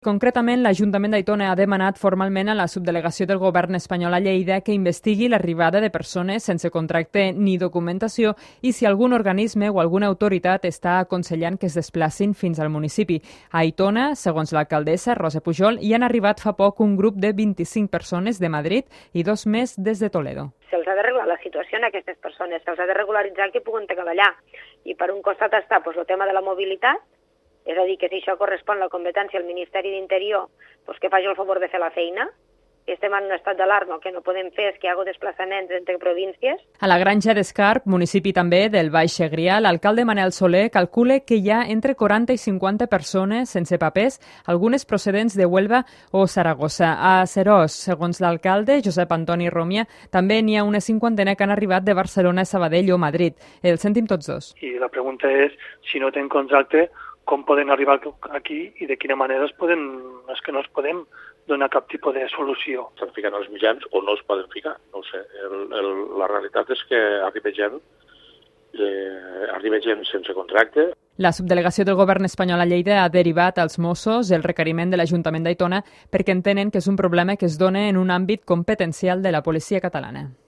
Concretament, l'Ajuntament d'Aitona ha demanat formalment a la subdelegació del govern espanyol a Lleida que investigui l'arribada de persones sense contracte ni documentació i si algun organisme o alguna autoritat està aconsellant que es desplacin fins al municipi. A Aitona, segons l'alcaldessa Rosa Pujol, hi han arribat fa poc un grup de 25 persones de Madrid i 2 més des de Toledo. Se'ls ha de regular la situació en aquestes persones, se'ls ha de regularitzar que puguen treballar. I per un costat està el tema de la mobilitat, és a dir, que si això correspon a la competència del Ministeri d'Interior, que faci el favor de fer la feina. Estem en un estat d'alarma, el que no podem fer és que hi hagi desplaçaments entre províncies. A la Granja d'Escarp, municipi també del Baix Segrià, l'alcalde Manel Soler calcula que hi ha entre 40 i 50 persones sense papers, algunes procedents de Huelva o Saragossa. A Serós, segons l'alcalde, Josep Antoni Romia, també n'hi ha una cinquantena que han arribat de Barcelona, Sabadell o Madrid. El sentim tots dos. I la pregunta és, si no tenen contracte, com poden arribar aquí i de quina manera és que no es podem donar cap tipus de solució. Estan ficant els mitjans o no es poden ficar, no ho sé. La realitat és que arriba gent sense contracte. La subdelegació del govern espanyol a Lleida ha derivat als Mossos el requeriment de l'Ajuntament d'Aitona perquè entenen que és un problema que es dona en un àmbit competencial de la policia catalana.